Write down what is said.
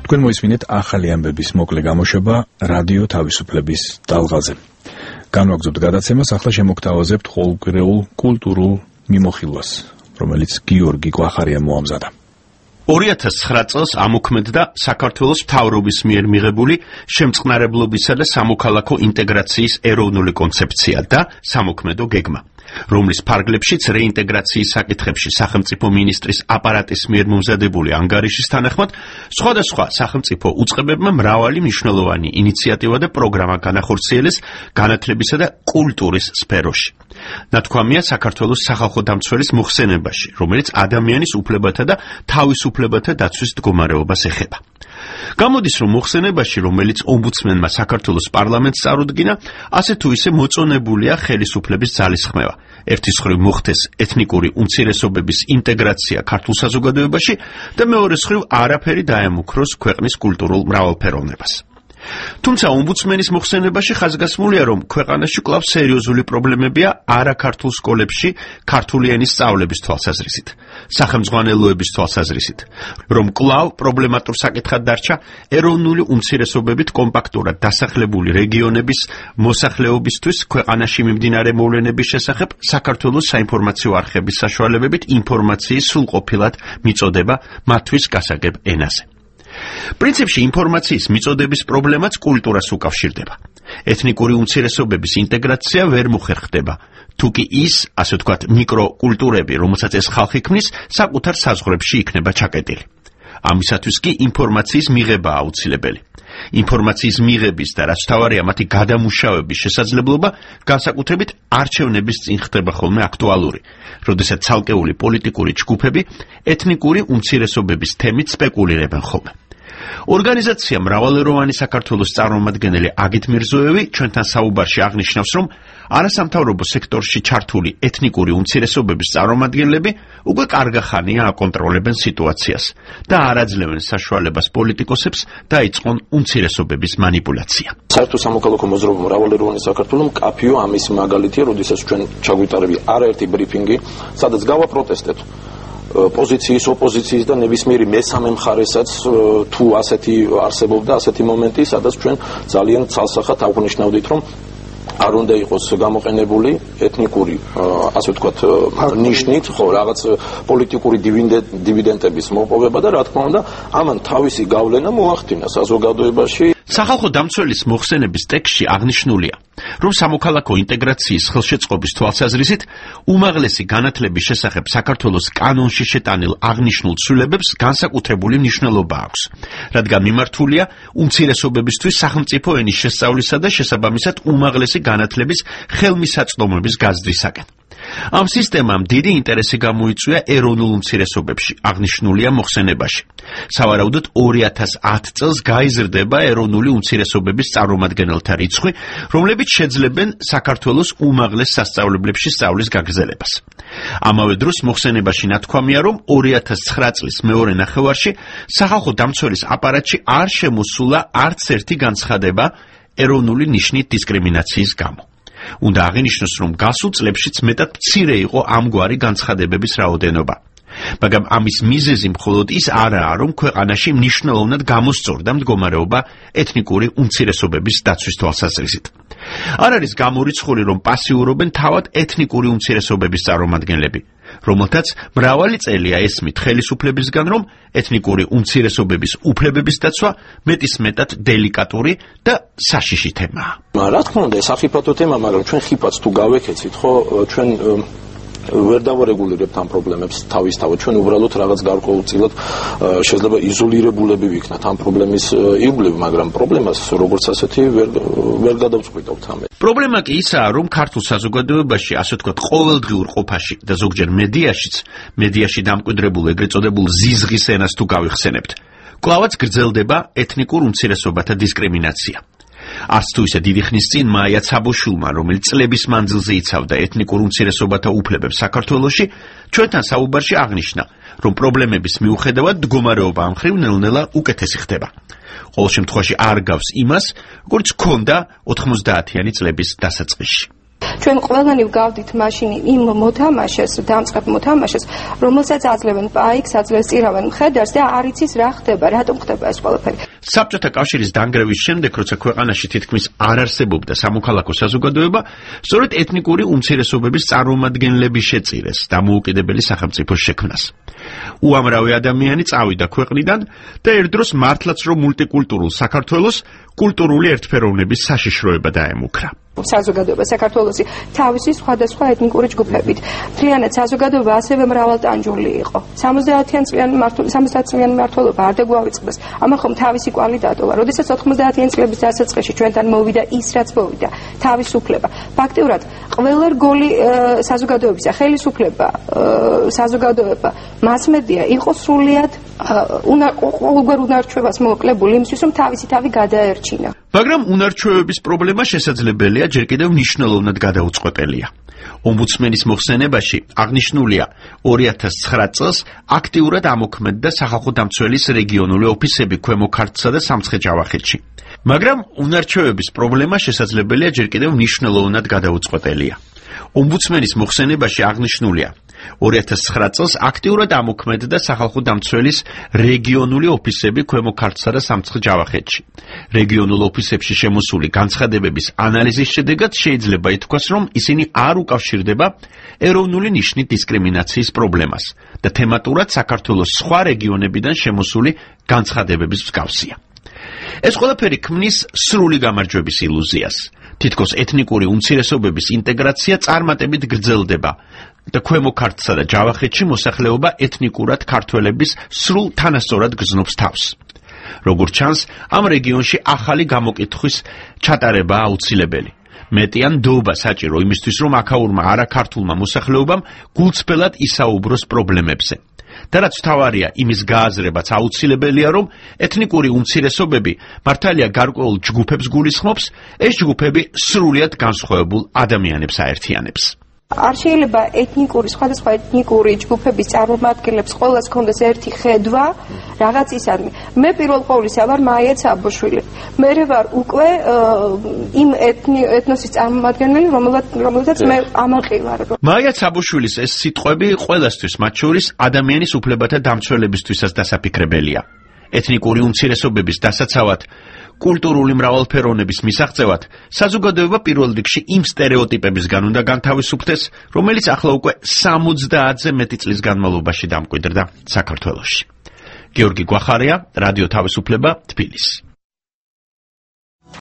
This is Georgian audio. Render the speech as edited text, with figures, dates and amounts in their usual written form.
თქვენ მოისმინეთ ახალი ამბების მოკლე გამოშვება რადიო თავისუფლების ტალღაზე. განვაგრძობთ გადაცემას, ახლა შემოგთავაზებთ ყოველკვირეულ კულტურულ მიმოხილვას, რომელიც გიორგი კვახარია მოამზადა. 2009 წელს ამოქმედდა საქართველოს მთავრობის მიერ მიღებული შემწყნარებლობისა და სამოქალაქო ინტეგრაციის ეროვნული კონცეფცია და სამოქმედო გეგმა, რომლის ფარგლებშიც რეინტეგრაციის საკითხებში სახელმწიფო მინისტრის აპარატის მიერ მომზადებული ანგარიშის თანახმად სხვადასხვა სახელმწიფო უწყებებმა მრავალი მნიშვნელოვანი ინიციატივა და პროგრამა განახორციელეს განათლებისა და კულტურის სფეროში. ნათქვამია საქართველოს სახალხო დამცველის მოხსენებაში, რომელიც ადამიანის უფლებათა და თავისუფლებათა დაცვის მდგომარეობას ეხება. გამოდის, რომ მოხსენებაში, რომელიც ომბუდსმენმა საქართველოს პარლამენტს წარუდგინა, ასე თუ ისე მოწონებულია ხელისუფლების ძალისხმევა. ერთის მხრივ მოხდეს ეთნიკური უმცირესობების ინტეგრაცია ქართულ საზოგადოებაში და მეორეს მხრივ არაფერი დაემუქროს ქვეყნის კულტურულ მრავალფეროვნებას. თუმცა ომბუდსმენის მოხსენებაში ხაზგასმულია, რომ ქვეყანაში კვლავ სერიოზული პრობლემებია არაქართულ სკოლებში ქართული ენის სწავლების თვალსაზრისით, სახელმძღვანელოების თვალსაზრისით, რომ კვლავ პრობლემატურ საკითხად დარჩა ეროვნული უმცირესობებით კომპაქტურად დასახლებული რეგიონების მოსახლეობისთვის ქვეყანაში მიმდინარე მოვლენების შესახებ საქართველოს საინფორმაციო არხების საშუალებებით ინფორმაციის სრულყოფილად მიწოდება მათთვის გასაგებ ენაზე. პრინციპში ინფორმაციის მიწოდების პრობლემაც კულტურას უკავშირდება. ეთნიკური უმცირესობების ინტეგრაცია ვერ მოხერხდება, თუკი ის, ასე ვთქვათ, მიკროკულტურები, რომელსაც ეს ხალხი ქმნის, საკუთარ საზღვრებში იქნება ჩაკეტილი. ამისათვის კი ინფორმაციის მიღება აუცილებელი. ინფორმაციის მიღების და რაც თავარია მათი გადამუშავების შესაძლებლობა განსაკუთრებით არჩევნების წინ ხდება ხოლმე აქტუალური, როდესაც ცალკეული პოლიტიკური ჯგუფები ეთნიკური უმცირესობების თემით სპეკულირებენ ხოლმე. ორგანიზაცია მრავალეროვანი საქართველოს წარმომადგენელი აგით მირზოევი ჩვენთან საუბარში აღნიშნავს, რომ არასამთავრობო სექტორში ჩართული ეთნიკური უმცირესობების წარმომადგენლები უკვე კარგახანია აკონტროლებენ სიტუაციას და არ აძლევენ საშუალებას პოლიტიკოსებს დაიწყონ უმცირესობების მანიპულაცია. საერთო სამოქალაქო მოძრაობა მრავალეროვანი საქართველო მკაფიო ამის მაგალითია, როდესაც ჩვენ ჩაგვიტარები არაერთი ბრიფინგი, სადაც გავაპროტესტეთ პოზიციის, ოპოზიციის და ნებისმიერი მესამე მხარესაც თუ ასეთი არსებობდა ასეთი მომენტი, სადაც ჩვენ ძალიან ცალსახად აღნიშნავდით, რომ არ უნდა იყოს გამოყენებული ეთნიკური, ასე ვთქვათ, ნიშნით, ხო, რაღაც პოლიტიკური დივიდენდების მოპოვება და რა თქმა უნდა, ამან თავისი გავლენა მოახდინა საზოგადოებაში. სახალხო დამცველის მოხსენების ტექსტში აღნიშნულია, რომ სამოქალაქო ინტეგრაციის ხელშეწყობის თვალსაზრისით უმაღლესი განათლების შესახებ საქართველოს კანონში შეტანილ აღნიშნულ ცვლილებებს განსაკუთრებული მნიშვნელობა აქვს, რადგან მიმართულია უმცირესობებისთვის სახელმწიფო ენის შესწავლისა და შესაბამისად უმაღლესი განათლების ხელმისაწვდომების გაზრდისაკენ. ამ სისტემამ დიდი ინტერესი გამოიწვია ეროვნულ უმცირესობებში, აღნიშნულია მოხსენებაში. სავარაუდოდ 2010 წელს გაიზრდება ეროვნული უმცირესობების წარმომადგენელთა რიცხვი, რომლებიც შეძლებენ საქართველოს უმაღლეს სასწავლებლებში სწავლის გაგრძელებას. ამავე დროს მოხსენებაში ნათქვამია, რომ 2009 წლის მეორე ნახევარში სახალხო დამცველის აპარატში არ შემოსულა არც ერთი განცხადება ეროვნული ნიშნით დისკრიმინაციის გამო. უნდა აღინიშნოს, რომ გასულ წლებშიც მეტად მცირე იყო ამგვარი განცხადებების რაოდენობა. მაგრამ ამის მიზეზი მხოლოდ ის არაა, რომ ქვეყანაში მნიშვნელოვნად გამოსწორდა მდგომარეობა ეთნიკური უმცირესობების დაცვის თვალსაზრისით. არ არის გამორიცხული, რომ პასიურობენ თავად ეთნიკური უმცირესობების წარმომადგენლები, რომელთაც მრავალი წელია ესმით ხელისუფლებისგან, რომ ეთნიკური უმცირესობების უფლებების დაცვა მეტისმეტად დელიკატური და საშიში თემაა. რა თქმა უნდა, ეს ახიფათო თემა, მაგრამ ჩვენ ხიფათს თუ გავექეცით, ხო, ჩვენ ვერ დავარეგულირებთ ამ პრობლემებს თავისთავად. ჩვენ უბრალოდ რაღაც გარკვეულწილად შეიძლება იზოლირებულები ვიქნათ ამ პრობლემის ირგვლივ, მაგრამ პრობლემას როგორც ასეთი ვერ გადავწყვიტავთ ამე. პრობლემა კი ისაა, რომ ქართულ საზოგადოებაში, ასე ვთქვათ, ყოველდღიურ ყოფაში და ზოგჯერ მედიაში დამკვიდრებულ ეგრეთ წოდებულ ზიზღის ენას თუ გავიხსენებთ, კვლავაც გრძელდება ეთნიკურ უმცირესობათა დისკრიმინაცია. არც თუ ისე დიდი ხნის წინ მაია ცაბოშვილმა, რომელიც წლების მანძილზე იცავდა ეთნიკურ უმცირესობათა უფლებებს საქართველოში, ჩვენთან საუბარში აღნიშნა, რომ პრობლემების მიუხედავად მდგომარეობა ამ მხრივ ნელ-ნელა უკეთესი ხდება. ყოველ შემთხვევაში არ გავს იმას, როგორც ჰქონდა 90-იანი წლების დასაწყისში. ჩვენ ყველანი ვგავდით მაშინ იმ მოთამაშეს, დამწყებ მოთამაშეს, რომელსაც აძლევენ პაიკს, აძლევს წირავენ მხედარს და არ იცის რა ხდება, რატომ ხდება ეს ყველაფერი. საბჭოთა კავშირის დანგრევის შემდეგ, როცა ქვეყანაში თითქმის არ არსებობდა სამოქალაქო საზოგადოება, სწორედ ეთნიკური უმცირესობების წარმომადგენლები შეწირეს დამოუკიდებელი სახელმწიფოს შექმნას. უამრავი ადამიანი წავიდა ქვეყნიდან და ერთდროს მართლაც რომ მულტიკულტურულ საქართველოს კულტურული ერთფეროვნების საშიშროება დაემუქრა. საზოგადოება საქართველოსი თავისი სხვადასხვა ეთნიკური ჯგუფებით. მთლიანად საზოგადოება ასევე მრავალტანჯული იყო. 70 წლიანი მმართველობა არ დაგვავიწყდეს. ამან ხომ თავისი კვალი დატოვა. როდესაც 90-იანი წლების დასაწყისში ჩვენთან მოვიდა ის, რაც მოვიდა, თავისუფლება. ფაქტიურად ყველა რგოლი საზოგადოებისა, ხელისუფლება, საზოგადოება, მასმედია იყო სრულიად ყოველგვარ უნარჩვებას მოკლებული იმისთვის, რომ თავისი თავი გადაერჩინა. მაგრამ უნარჩვევების პრობლემა შესაძლებელია ჯერ კიდევ მნიშვნელოვნად გადაუწყვეტელია. ომბუდსმენის მოხსენებაში აღნიშნულია 2009 წელს აქტიურად ამოქმედდა სახალხო დამცველის რეგიონული ოფისები ქვემო ქართლსა და სამცხე-ჯავახეთში. მაგრამ უნარჩვევების პრობლემა შესაძლებელია ჯერ კიდევ მნიშვნელოვნად გადაუწყვეტელია. ომბუდსმენის მოხსენებაში აღნიშნულია 2009 წელს აქტიურად ამოქმედდა სახალხო დამცველის რეგიონული ოფისები ქვემო ქართლსა და სამცხე-ჯავახეთში. რეგიონულ ოფისებში შემოსული განცხადებების ანალიზის შედეგად შეიძლება ითქვას, რომ ისინი არ უკავშირდება ეროვნული ნიშნით დისკრიმინაციის პრობლემას და თემატურად საქართველოს სხვა რეგიონებიდან შემოსული განცხადებების მსგავსია. ეს ყველაფერი ქმნის სრული გამარჯვების ილუზიას. თითქოს ეთნიკური უმცირესობების ინტეგრაცია წარმატებით გრძელდება და ქვემო ქართლსა და ჯავახეთში მოსახლეობა ეთნიკურად ქართველების სრულ თანასწორად გრძნობს თავს. როგორც ჩანს, ამ რეგიონში ახალი გამოკითხვის ჩატარება აუცილებელი. მეტიან დოობა საჭირო იმისთვის, რომ აქაურმა არაქართულმა მოსახლეობამ გულწრფელად ისაუბროს პრობლემებზე. და რაც თავარია, იმის გააზრებაც აუცილებელია, რომ ეთნიკური უმცირესობები მართალია გარკვეულ ჯგუფებს გულისხმობს, ეს ჯგუფები სრულიად განსხვავებულ ადამიანებს აერთიანებს. არ შეიძლება სხვადასხვა ეთნიკური ჯგუფების წარმომადგენლებს ყველას ჰქონდეს ერთი ხედვა რაღაცისადმი. მე პირველ ყოვლისა ვარ მაია ცაბოშვილი. მე ვარ უკვე იმ ეთნოსის წარმომადგენელი, რომელთაც მე ამაყი ვარ. მაია ცაბოშვილის ეს სიტყვები ყველასთვის, მათ შორის ადამიანის უფლებათა დამცველებისთვისაც დასაფიქრებელია. ეთნიკური უმცირესობების დასაცავად, კულტურული მრავალფეროვნების მისაღწევად, საზოგადოება პირველ რიგში იმ სტერეოტიპებისგან უნდა განთავისუფლდეს, რომელიც ახლა უკვე 70-ზე მეტი წლის განმავლობაში დამკვიდრდა საქართველოში. გიორგი გვახარია, რადიო თავისუფლება, თბილისი.